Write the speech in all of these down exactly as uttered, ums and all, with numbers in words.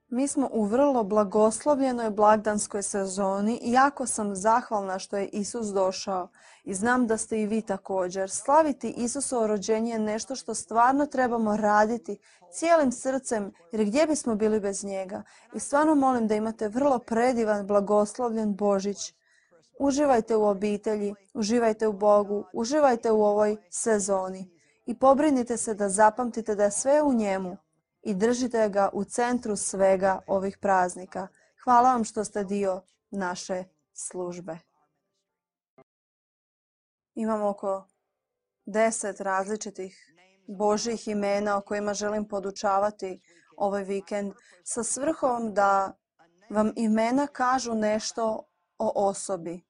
Mi smo u vrlo blagoslovljenoj blagdanskoj sezoni i jako sam zahvalna što je Isus došao i znam da ste i vi također. Slaviti Isusovo rođenje je nešto što stvarno trebamo raditi cijelim srcem jer gdje bismo bili bez njega. I stvarno molim da imate vrlo predivan, blagoslovljen Božić. Uživajte u obitelji, uživajte u Bogu, uživajte u ovoj sezoni i pobrinite se da zapamtite da je sve u njemu i držite ga u centru svega ovih praznika. Hvala vam što ste dio naše službe. Imamo oko deset različitih Božjih imena o kojima želim podučavati ovaj vikend sa svrhom da vam imena kažu nešto o osobi.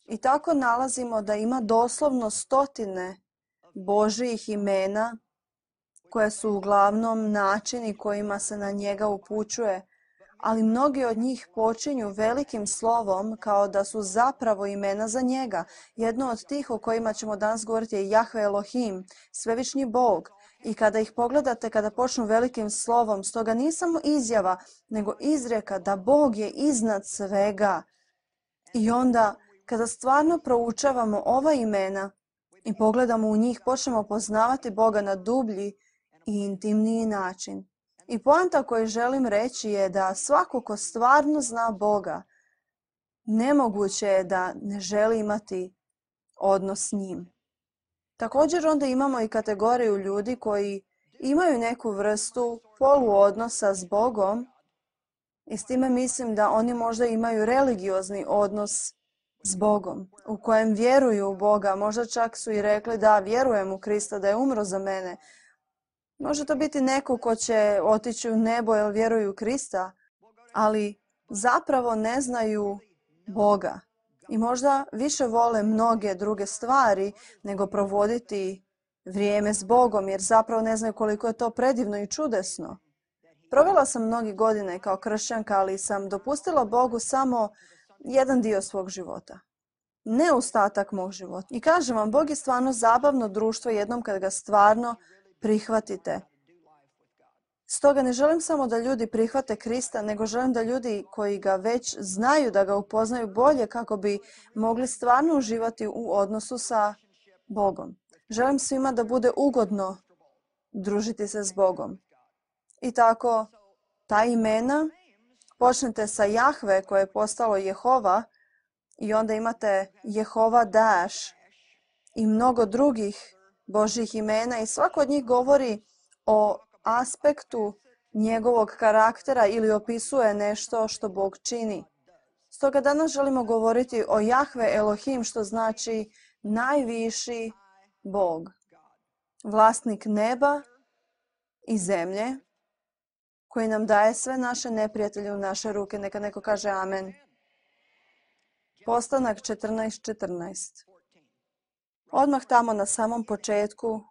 I tako nalazimo da ima doslovno stotine Božjih imena koje su uglavnom načini kojima se na njega upućuje, ali mnogi od njih počinju velikim slovom kao da su zapravo imena za njega. Jedno od tih o kojima ćemo danas govoriti je Jahve Elohim, svevišnji Bog. I kada ih pogledate, kada počnu velikim slovom, stoga nije samo izjava, nego izrijeka da Bog je iznad svega. I onda, kada stvarno proučavamo ova imena i pogledamo u njih, počnemo poznavati Boga na dublji i intimniji način. I poanta koju želim reći je da svako ko stvarno zna Boga, nemoguće je da ne želi imati odnos s njim. Također onda imamo i kategoriju ljudi koji imaju neku vrstu poluodnosa s Bogom i s time mislim da oni možda imaju religiozni odnos s Bogom, u kojem vjeruju u Boga. Možda čak su i rekli da vjerujem u Krista, da je umro za mene. Može to biti neko ko će otići u nebo jer vjeruju u Krista, ali zapravo ne znaju Boga. I možda više vole mnoge druge stvari nego provoditi vrijeme s Bogom, jer zapravo ne znaju koliko je to predivno i čudesno. Provela sam mnogi godine kao kršćanka, ali sam dopustila Bogu samo jedan dio svog života. Ne ostatak mog života. I kažem vam, Bog je stvarno zabavno društvo jednom kad ga stvarno prihvatite. Stoga ne želim samo da ljudi prihvate Krista, nego želim da ljudi koji ga već znaju, da ga upoznaju bolje kako bi mogli stvarno uživati u odnosu sa Bogom. Želim svima da bude ugodno družiti se s Bogom. I tako, ta imena, počnete sa Jahve koje je postalo Jehova i onda imate Jehova Daš i mnogo drugih Božjih imena i svako od njih govori o aspektu njegovog karaktera ili opisuje nešto što Bog čini. Stoga danas želimo govoriti o Jahve Elohim, što znači najviši Bog, vlasnik neba i zemlje, koji nam daje sve naše neprijatelje u naše ruke. Neka neko kaže amen. Postanak četrnaest četrnaest. Odmah tamo na samom početku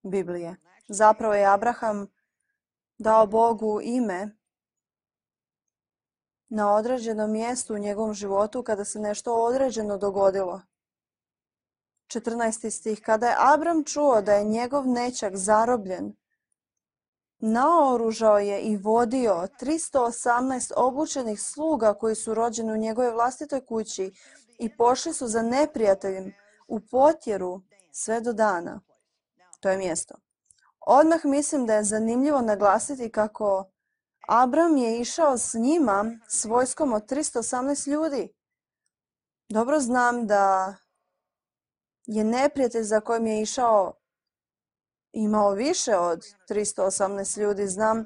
Biblije. Zapravo je Abraham dao Bogu ime na određenom mjestu u njegovom životu kada se nešto određeno dogodilo. četrnaesti stih. Kada je Abram čuo da je njegov nećak zarobljen, naoružao je i vodio tristo osamnaest obučenih sluga koji su rođeni u njegovoj vlastitoj kući i pošli su za neprijateljem u potjeru sve do dana. To je mjesto. Odmah mislim da je zanimljivo naglasiti kako Abram je išao s njima s vojskom od tristo osamnaest ljudi. Dobro znam da je neprijatelj za kojim je išao imao više od tristo osamnaest ljudi. Znam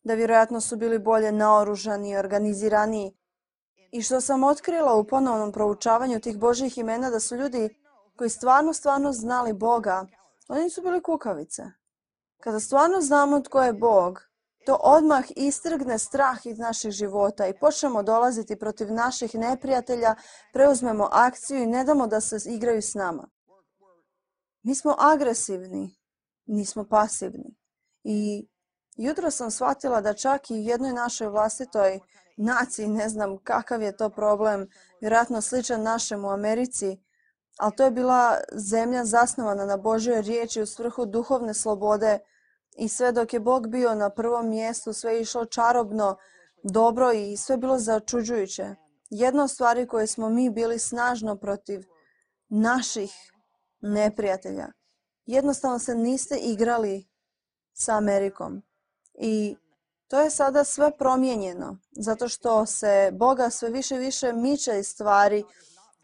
da vjerojatno su bili bolje naoružani i organiziraniji. I što sam otkrila u ponovnom proučavanju tih Božjih imena, da su ljudi koji stvarno, stvarno znali Boga, oni nisu bili kukavice. Kada stvarno znamo tko je Bog, to odmah istrgne strah iz naših života i počnemo dolaziti protiv naših neprijatelja, preuzmemo akciju i ne damo da se igraju s nama. Mi smo agresivni, nismo pasivni. I jutro sam shvatila da čak i u jednoj našoj vlastitoj naciji, ne znam kakav je to problem, vjerojatno sličan našem u Americi, ali to je bila zemlja zasnovana na Božjoj riječi u svrhu duhovne slobode I sve dok je Bog bio na prvom mjestu, sve je išlo čarobno, dobro i sve bilo začuđujuće. Jedna od stvari koje smo mi bili snažno protiv naših neprijatelja. Jednostavno se niste igrali sa Amerikom. I to je sada sve promijenjeno, zato što se Boga sve više i više miče iz stvari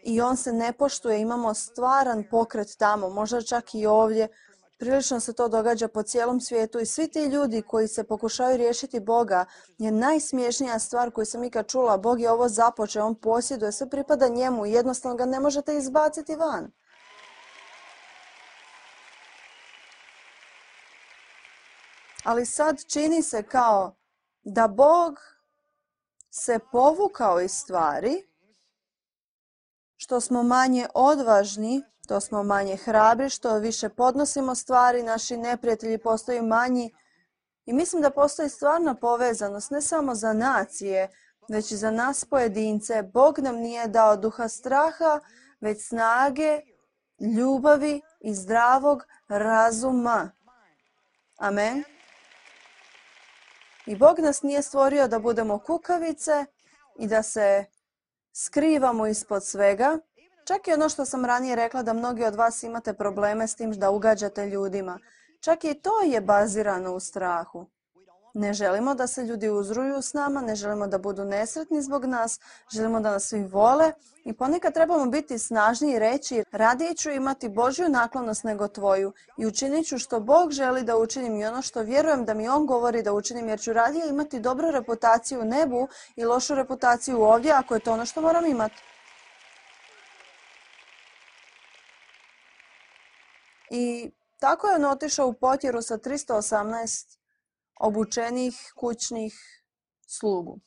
i on se ne poštuje. Imamo stvaran pokret tamo, možda čak i ovdje. Prilično se to događa po cijelom svijetu i svi ti ljudi koji se pokušavaju riješiti Boga je najsmiješnija stvar koju sam ikad čula. Bog je ovo započeo, on posjeduje, sve pripada njemu i jednostavno ga ne možete izbaciti van. Ali sad čini se kao da Bog se povukao iz stvari, što smo manje odvažni, to smo manje hrabri, što više podnosimo stvari, naši neprijatelji postaju manji. I mislim da postoji stvarna povezanost, ne samo za nacije, već i za nas pojedince. Bog nam nije dao duha straha, već snage, ljubavi i zdravog razuma. Amen. I Bog nas nije stvorio da budemo kukavice i da se skrivamo ispod svega. Čak i ono što sam ranije rekla da mnogi od vas imate probleme s tim da ugađate ljudima. Čak i to je bazirano u strahu. Ne želimo da se ljudi uzruju s nama, ne želimo da budu nesretni zbog nas, želimo da nas svi vole i ponekad trebamo biti snažni i reći radije ću imati Božju naklonost nego tvoju i učinit ću što Bog želi da učinim i ono što vjerujem da mi On govori da učinim jer ću radije imati dobru reputaciju u nebu i lošu reputaciju ovdje ako je to ono što moram imati. I tako je on otišao u potjeru sa tristo osamnaest obučenih kućnih slugu.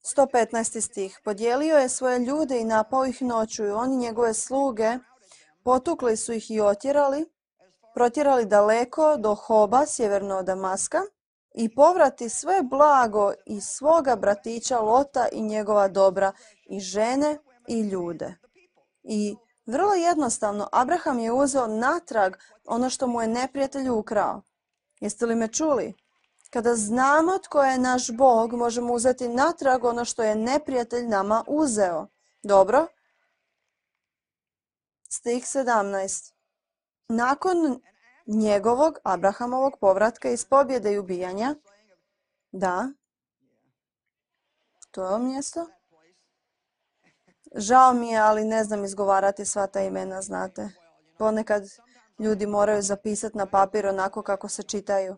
sto petnaesti stih. Podijelio je svoje ljude i napao ih noću i oni njegove sluge potukli su ih i otjerali, protjerali daleko do Hoba, sjeverno od Damaska, i povrati sve blago i svoga bratića Lota i njegova dobra, i žene i ljude. I vrlo jednostavno, Abraham je uzeo natrag ono što mu je neprijatelj ukrao. Jeste li me čuli? Kada znamo tko je naš Bog, možemo uzeti natrag ono što je neprijatelj nama uzeo. Dobro? Stih sedamnaest. Nakon njegovog, Abrahamovog povratka iz pobjede i ubijanja, da, to je ovo mjesto. Žao mi je, ali ne znam izgovarati sva ta imena, znate. Ponekad ljudi moraju zapisati na papir onako kako se čitaju.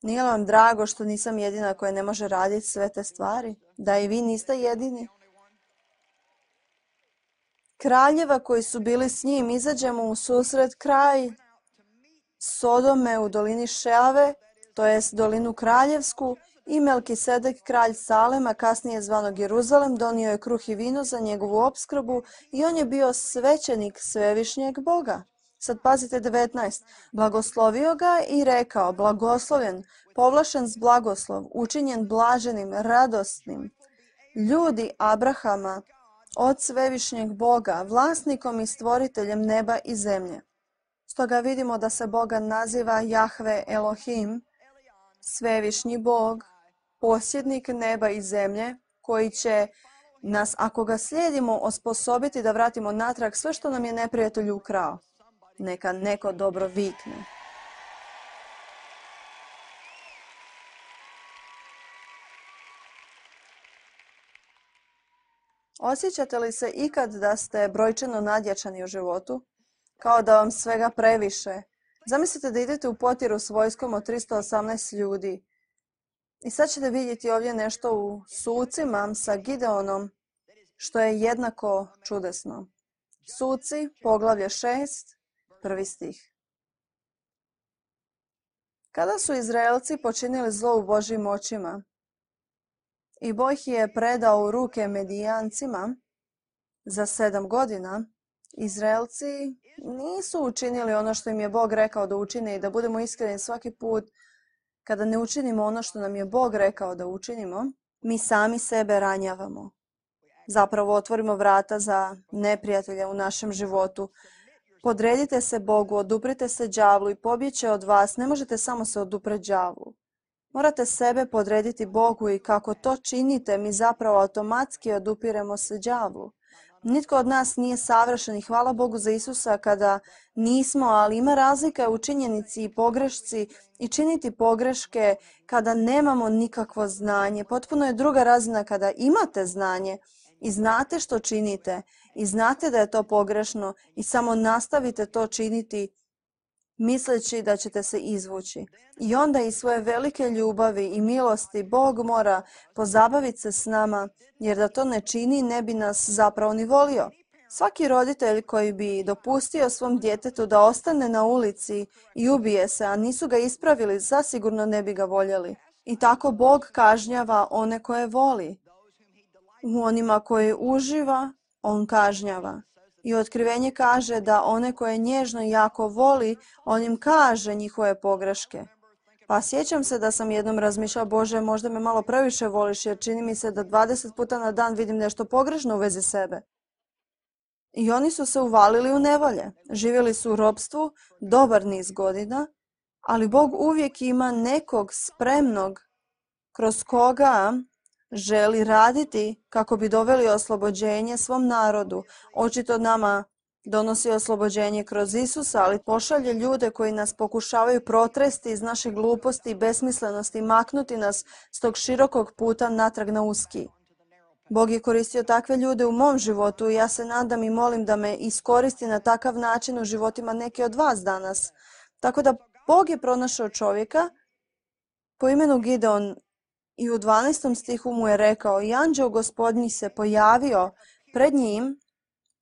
Nije li vam drago što nisam jedina koja ne može raditi sve te stvari? Da i vi niste jedini? Kraljeva koji su bili s njim, izađemo u susret kraj Sodome u dolini Šeave, to jest dolinu kraljevsku, i Melkisedek, kralj Salema, kasnije zvanog Jeruzalem, donio je kruh i vino za njegovu opskrbu i on je bio svećenik svevišnjeg Boga. Sad pazite devetnaest. Blagoslovio ga i rekao, blagoslovljen, povlašen s blagoslov, učinjen blaženim, radosnim. Ljudi Abrahama, od svevišnjeg Boga, vlasnikom i stvoriteljem neba i zemlje. Stoga vidimo da se Boga naziva Jahve Elohim, svevišnji Bog, posjednik neba i zemlje, koji će nas, ako ga slijedimo, osposobiti da vratimo natrag sve što nam je neprijatelj ukrao. Neka neko dobro vikne. Osjećate li se ikad da ste brojčano nadjačani u životu? Kao da vam svega previše? Zamislite da idete u potjeru s vojskom od tristo osamnaest ljudi. I sad ćete vidjeti ovdje nešto u Sucima sa Gideonom, što je jednako čudesno. Suci, poglavlje šest, prvi stih. Kada su Izraelci počinili zlo u Božjim očima i Bog ih je predao u ruke Medijancima za sedam godina, Izraelci nisu učinili ono što im je Bog rekao da učine i da budemo iskreni svaki put kada ne učinimo ono što nam je Bog rekao da učinimo, mi sami sebe ranjavamo. Zapravo otvorimo vrata za neprijatelja u našem životu. podredite se Bogu, oduprite se đavlu i pobjeće od vas. Ne možete samo se odupreti đavlu. Morate sebe podrediti Bogu i kako to činite, mi zapravo automatski odupiremo se đavlu. Nitko od nas nije savršen i hvala Bogu za Isusa kada nismo, ali ima razlika u činjenici i pogrešci i činiti pogreške kada nemamo nikakvo znanje. Potpuno je druga razina kada imate znanje i znate što činite i znate da je to pogrešno i samo nastavite to činiti misleći da ćete se izvući. I onda iz svoje velike ljubavi i milosti Bog mora pozabaviti se s nama, jer da to ne čini ne bi nas zapravo ni volio. Svaki roditelj koji bi dopustio svom djetetu da ostane na ulici i ubije se, a nisu ga ispravili, zasigurno ne bi ga voljeli. I tako Bog kažnjava one koje voli. U onima koje uživa, on kažnjava. I otkrivenje kaže da one koje nježno i jako voli, on im kaže njihove pogreške. Pa sjećam se da sam jednom razmišljala, Bože, možda me malo previše voliš, jer čini mi se da dvadeset puta na dan vidim nešto pogrešno u vezi sebe. I oni su se uvalili u nevolje. Živjeli su u ropstvu dobar niz godina, ali Bog uvijek ima nekog spremnog kroz koga želi raditi kako bi doveli oslobođenje svom narodu. Očito nama donosi oslobođenje kroz Isusa, ali pošalje ljude koji nas pokušavaju protresti iz naše gluposti i besmislenosti, maknuti nas s tog širokog puta natrag na uski. Bog je koristio takve ljude u mom životu i ja se nadam i molim da me iskoristi na takav način u životima neki od vas danas. Tako da Bog je pronašao čovjeka po imenu Gideon i u dvanaestom stihu mu je rekao, i anđeo Gospodnji se pojavio pred njim,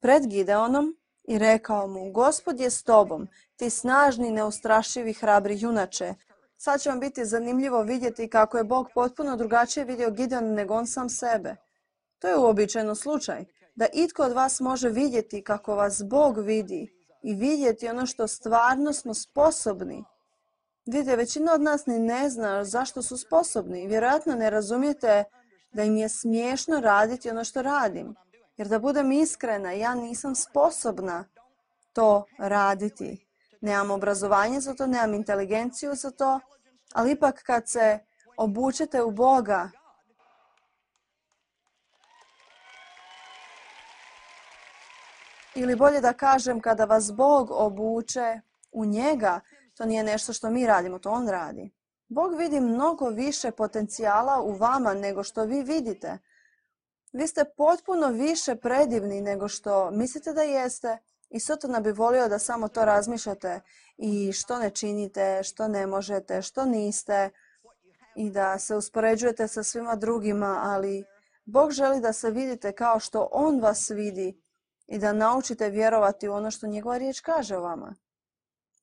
pred Gideonom, i rekao mu, Gospod je s tobom, ti snažni, neustrašivi, hrabri junače. Sad će vam biti zanimljivo vidjeti kako je Bog potpuno drugačije vidio Gideon nego on sam sebe. To je uobičajeno slučaj, da itko od vas može vidjeti kako vas Bog vidi i vidjeti ono što stvarno smo sposobni. Vidite, većina od nas ni ne zna zašto su sposobni. Vjerojatno ne razumijete da im je smiješno raditi ono što radim. Jer da budem iskrena, ja nisam sposobna to raditi. Nemam obrazovanje za to, nemam inteligenciju za to, ali ipak kad se obučete u Boga, ili bolje da kažem, kada vas Bog obuče u njega, to nije nešto što mi radimo, to on radi. Bog vidi mnogo više potencijala u vama nego što vi vidite. Vi ste potpuno više predivni nego što mislite da jeste i Sotona bi volio da samo to razmišljate i što ne činite, što ne možete, što niste i da se uspoređujete sa svima drugima, ali Bog želi da se vidite kao što on vas vidi i da naučite vjerovati u ono što njegova riječ kaže o vama.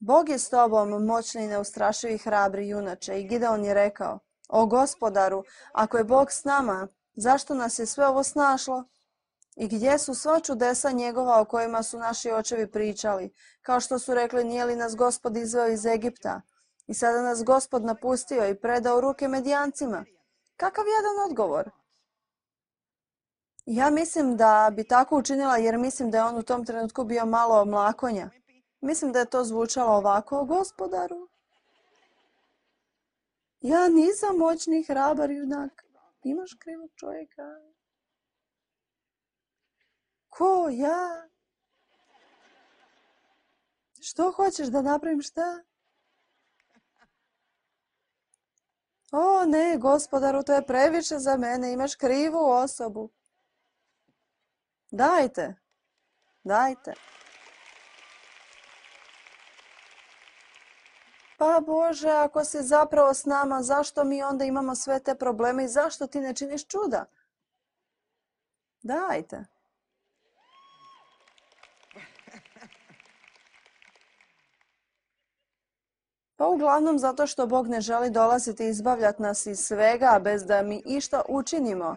Bog je s tobom, moćni i neustrašivi, hrabri junače. I Gideon je rekao, o Gospodaru, ako je Bog s nama, zašto nas je sve ovo snašlo? I gdje su sva čudesa njegova o kojima su naši očevi pričali? Kao što su rekli, nije li nas Gospod izveo iz Egipta? I sada nas Gospod napustio i predao u ruke Medijancima. Kakav jedan odgovor? Ja mislim da bi tako učinila jer mislim da je on u tom trenutku bio malo mlakonja. Mislim da je to zvučalo ovako, Gospodaru. Ja nisam moćni, hrabar junak. Imaš krivog čovjeka. Ko ja? Što hoćeš da napravim šta? O ne, Gospodaru, to je previše za mene, imaš krivu osobu. Dajte, dajte. Pa Bože, ako si zapravo s nama, zašto mi onda imamo sve te probleme i zašto ti ne činiš čuda? Dajte. Pa uglavnom zato što Bog ne želi dolaziti i izbavljati nas iz svega bez da mi išta učinimo.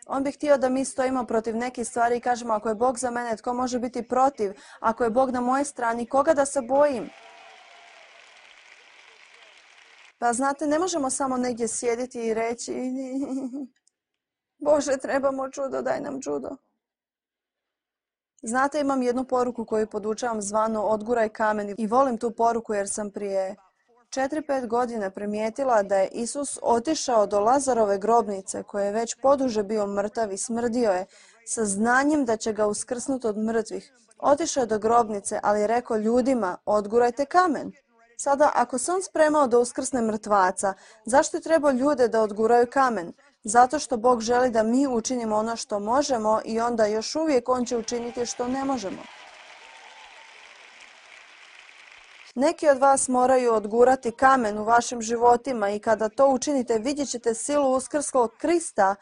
On bi htio da mi stojimo protiv nekih stvari i kažemo ako je Bog za mene, tko može biti protiv? Ako je Bog na moje strani, koga da se bojim? Pa znate, ne možemo samo negdje sjediti i reći Bože, trebamo čudo, daj nam čudo. Znate, imam jednu poruku koju podučavam zvano Odguraj kamen i volim tu poruku jer sam prije četiri pet godina primijetila da je Isus otišao do Lazarove grobnice koje je već poduže bio mrtav i smrdio je sa znanjem da će ga uskrsnuti od mrtvih. Otišao je do grobnice, ali je rekao ljudima, odgurajte kamen. Sada, ako se on spremao da uskrsne mrtvaca, zašto je trebao ljude da odguraju kamen? Zato što Bog želi da mi učinimo ono što možemo i onda još uvijek on će učiniti što ne možemo. Neki od vas moraju odgurati kamen u vašim životima i kada to učinite vidjet ćete silu uskrslog Krista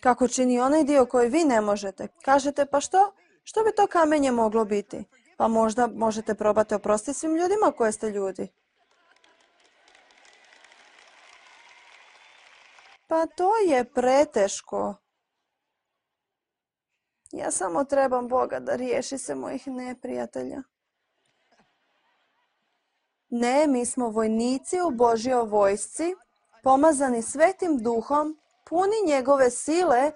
kako čini onaj dio koji vi ne možete. Kažete, pa što? Što bi to kamenje moglo biti? Pa možda možete probati oprostiti svim ljudima koje ste ljudi. Pa to je preteško. Ja samo trebam Boga da riješi se mojih neprijatelja. Ne, mi smo vojnici u Božjoj vojsci, pomazani Svetim Duhom, puni njegove sile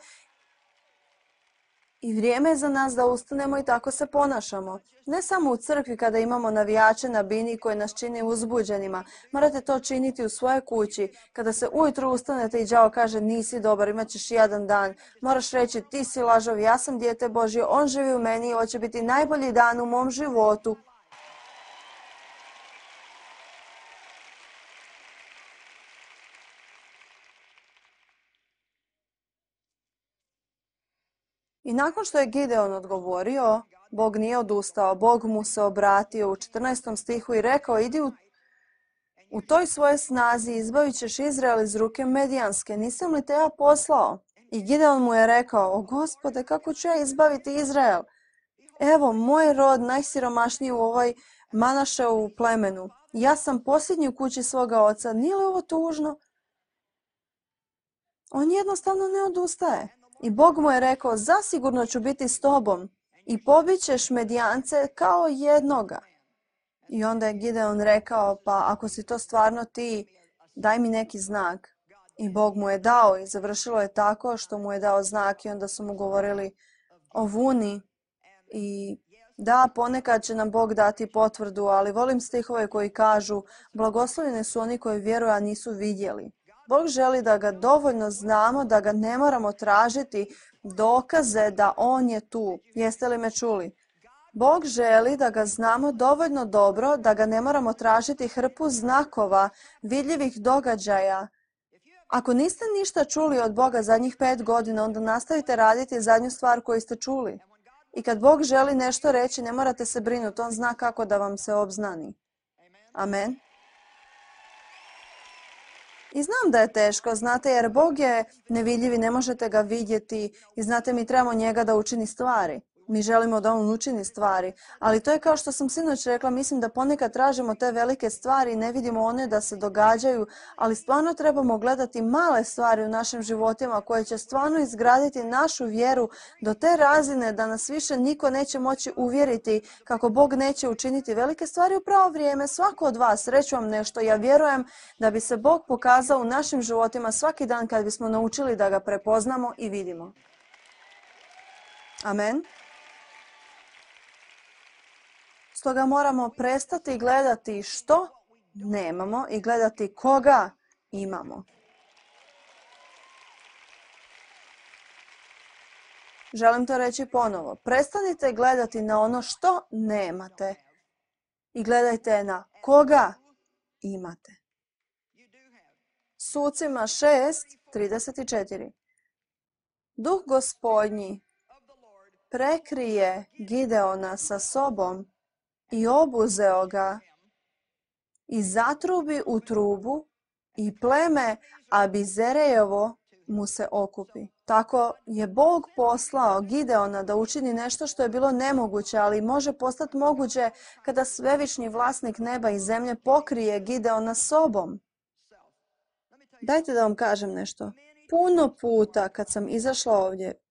i vrijeme je za nas da ustanemo i tako se ponašamo. Ne samo u crkvi kada imamo navijače na bini koji nas čini uzbuđenima. Morate to činiti u svojoj kući. Kada se ujutro ustanete i đavo kaže nisi dobar, imat ćeš jedan dan. Moraš reći ti si lažov, ja sam dijete Božje, on živi u meni i ovo će biti najbolji dan u mom životu. I nakon što je Gideon odgovorio, Bog nije odustao, Bog mu se obratio u četrnaestom stihu i rekao, idi u, u toj svojoj snazi, izbavit ćeš Izrael iz ruke Medijanske, nisam li te ja poslao? I Gideon mu je rekao, o Gospode, kako ću ja izbaviti Izrael? Evo, moj rod najsiromašniji u ovoj Manaševu plemenu. Ja sam posljednji u kući svoga oca, nije li ovo tužno? On jednostavno ne odustaje. I Bog mu je rekao, zasigurno ću biti s tobom i pobit ćeš Medijance kao jednoga. I onda je Gideon rekao, pa ako si to stvarno ti, daj mi neki znak. I Bog mu je dao i završilo je tako što mu je dao znak i onda su mu govorili o vuni. I da, ponekad će nam Bog dati potvrdu, ali volim stihove koji kažu, blagoslovljeni su oni koji vjeruju, a nisu vidjeli. Bog želi da ga dovoljno znamo, da ga ne moramo tražiti dokaze da on je tu. Jeste li me čuli? Bog želi da ga znamo dovoljno dobro, da ga ne moramo tražiti hrpu znakova, vidljivih događaja. Ako niste ništa čuli od Boga zadnjih pet godina, onda nastavite raditi zadnju stvar koju ste čuli. I kad Bog želi nešto reći, ne morate se brinuti, on zna kako da vam se obznani. Amen. I znam da je teško, znate, jer Bog je nevidljiv i ne možete ga vidjeti i znate, mi trebamo njega da učini stvari. Mi želimo da on učini stvari, ali to je kao što sam sinoć rekla, mislim da ponekad tražimo te velike stvari i ne vidimo one da se događaju, ali stvarno trebamo gledati male stvari u našim životima koje će stvarno izgraditi našu vjeru do te razine da nas više niko neće moći uvjeriti kako Bog neće učiniti velike stvari u pravo vrijeme. Svako od vas, reću vam nešto, ja vjerujem da bi se Bog pokazao u našim životima svaki dan kad bismo naučili da ga prepoznamo i vidimo. Amen. Stoga moramo prestati gledati što nemamo i gledati koga imamo. Želim to reći ponovo. Prestanite gledati na ono što nemate i gledajte na koga imate. Sucima šest trideset četiri. Duh Gospodnji prekrije Gideona sa sobom i obuzeo ga i zatrubi u trubu i pleme Abizerejevo mu se okupi. Tako je Bog poslao Gideona da učini nešto što je bilo nemoguće, ali može postati moguće kada svevišnji vlasnik neba i zemlje pokrije Gideona sobom. Dajte da vam kažem nešto. Puno puta kad sam izašla ovdje,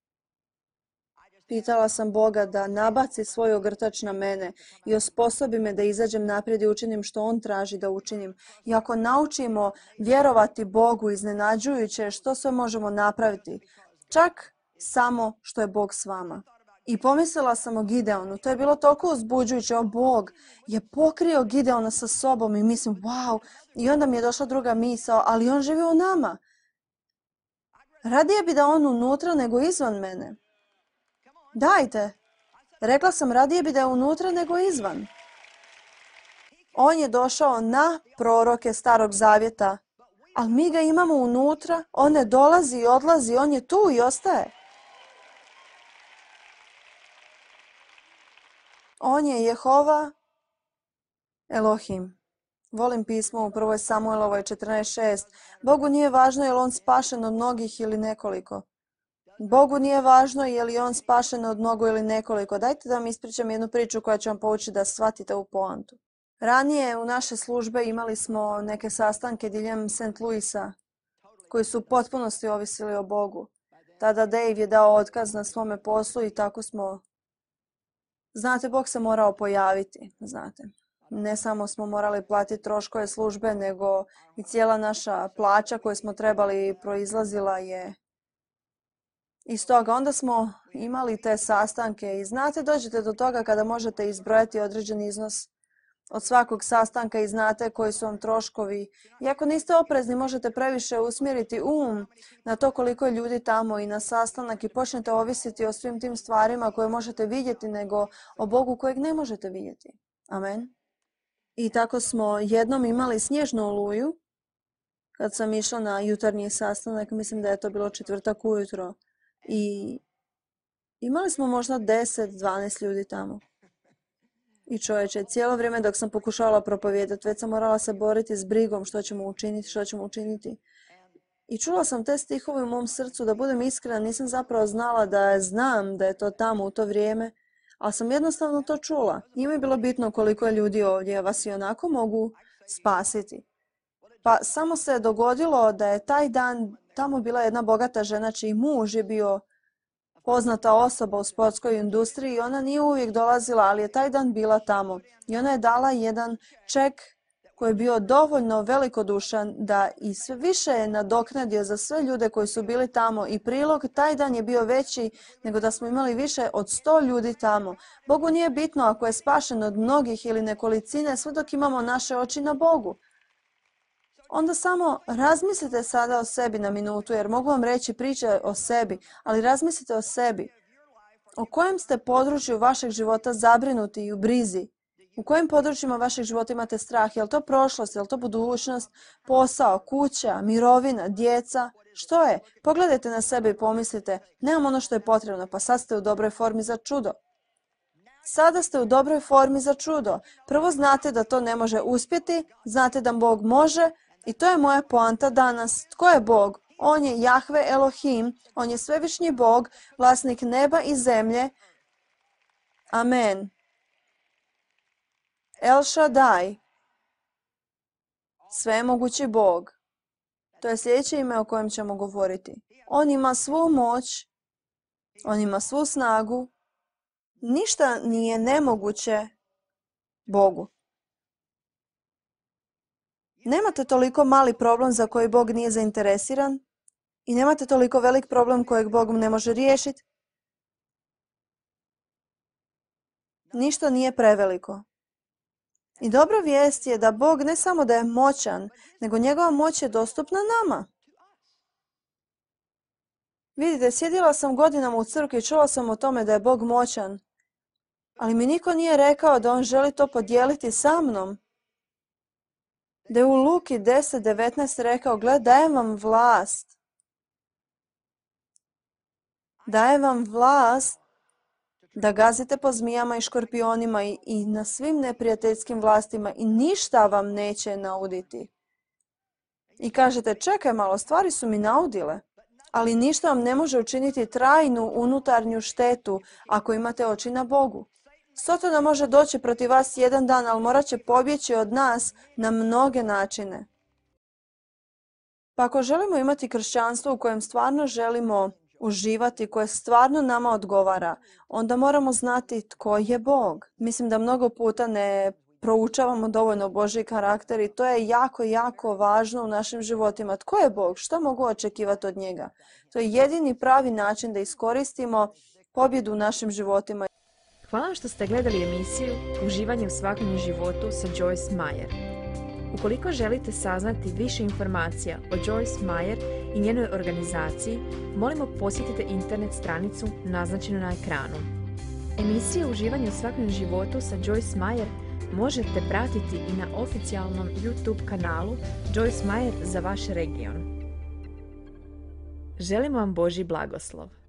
pitala sam Boga da nabaci svoj ogrtač na mene i osposobi me da izađem naprijed i učinim što On traži da učinim. I ako naučimo vjerovati Bogu, iznenađujuće što sve možemo napraviti, čak samo što je Bog s vama. I pomislila sam o Gideonu. To je bilo toliko uzbuđujuće. O, Bog je pokrio Gideona sa sobom i mislim, wow. I onda mi je došla druga misao, ali on živi u nama. Radije bi da on unutra nego izvan mene. Dajte. Rekla sam, radije bi da je unutra nego izvan. On je došao na proroke Starog Zavjeta, ali mi ga imamo unutra. On ne dolazi i odlazi, on je tu i ostaje. On je Jehova Elohim. Volim pismo u prvoj Samuelovoj četrnaest šest. Bogu nije važno je li on spašen od mnogih ili nekoliko. Bogu nije važno je li on spašen od mnogo ili nekoliko. Dajte da vam ispričam jednu priču koja će vam poučiti da shvatite u poantu. Ranije u naše službe imali smo neke sastanke diljem Saint Louisa koji su u potpunosti ovisili o Bogu. Tada Dave je dao otkaz na svome poslu i tako smo... Znate, Bog se morao pojaviti, znate. Ne samo smo morali platiti troškove službe, nego i cijela naša plaća koju smo trebali proizlazila je iz toga. Onda smo imali te sastanke i znate, dođete do toga kada možete izbrojati određen iznos od svakog sastanka i znate koji su vam troškovi. I ako niste oprezni, možete previše usmjeriti um na to koliko je ljudi tamo i na sastanak i počnete ovisiti o svim tim stvarima koje možete vidjeti nego o Bogu kojeg ne možete vidjeti. Amen. I tako smo jednom imali snježnu oluju kad sam išla na jutarnji sastanak, mislim da je to bilo četvrtak ujutro. I imali smo možda deset do dvanaest ljudi tamo. I čovječe, cijelo vrijeme dok sam pokušavala propovijedati, već sam morala se boriti s brigom što ćemo učiniti, što ćemo učiniti. I čula sam te stihove u mom srcu, da budem iskrena, nisam zapravo znala da znam da je to tamo u to vrijeme, ali sam jednostavno to čula. Nije mi bilo bitno koliko je ljudi ovdje, vas i onako mogu spasiti. Pa samo se dogodilo da je taj dan tamo bila jedna bogata žena čiji muž je bio poznata osoba u sportskoj industriji i ona nije uvijek dolazila, ali je taj dan bila tamo. I ona je dala jedan ček koji je bio dovoljno velikodušan da i sve više je nadoknadio za sve ljude koji su bili tamo i prilog taj dan je bio veći nego da smo imali više od sto ljudi tamo. Bogu nije bitno ako je spašen od mnogih ili nekolicine sve dok imamo naše oči na Bogu. Onda samo razmislite sada o sebi na minutu, jer mogu vam reći priče o sebi, ali razmislite o sebi. O kojem ste području vašeg života zabrinuti i u brizi? U kojim područjima vašeg života imate strah? Je li to prošlost, je li to budućnost, posao, kuća, mirovina, djeca? Što je? Pogledajte na sebe i pomislite, nemam ono što je potrebno, pa sad ste u dobroj formi za čudo. Sada ste u dobroj formi za čudo. Prvo znate da to ne može uspjeti, znate da Bog može i to je moja poanta danas. Tko je Bog? On je Jahve Elohim, on je svevišnji Bog, vlasnik neba i zemlje. Amen. El Shaddai, svemogući Bog. To je sljedeće ime o kojem ćemo govoriti. On ima svu moć, on ima svu snagu. Ništa nije nemoguće Bogu. Nemate toliko mali problem za koji Bog nije zainteresiran i nemate toliko velik problem kojeg Bog ne može riješiti. Ništa nije preveliko. I dobra vijest je da Bog ne samo da je moćan, nego njegova moć je dostupna nama. Vidite, sjedila sam godinama u crkvi i čula sam o tome da je Bog moćan, ali mi niko nije rekao da on želi to podijeliti sa mnom. Da je u Luki deset devetnaest rekao, gled, dajem vam vlast. Dajem vam vlast da gazite po zmijama i škorpionima i, i na svim neprijateljskim vlastima i ništa vam neće nauditi. I kažete, čekaj malo, stvari su mi naudile, ali ništa vam ne može učiniti trajnu unutarnju štetu ako imate oči na Bogu. Sotona može doći protiv vas jedan dan, ali morat će pobjeći od nas na mnoge načine. Pa ako želimo imati kršćanstvo u kojem stvarno želimo uživati, koje stvarno nama odgovara, onda moramo znati tko je Bog. Mislim da mnogo puta ne proučavamo dovoljno Božji karakter i to je jako, jako važno u našim životima. Tko je Bog? Što mogu očekivati od njega? To je jedini pravi način da iskoristimo pobjedu u našim životima. Hvala vam što ste gledali emisiju Uživanje u svakodnevnom životu sa Joyce Meyer. Ukoliko želite saznati više informacija o Joyce Meyer i njenoj organizaciji, molimo posjetite internet stranicu naznačenu na ekranu. Emisije Uživanje u svakodnevnom životu sa Joyce Meyer možete pratiti i na oficijalnom YouTube kanalu Joyce Meyer za vaš region. Želimo vam Božji blagoslov.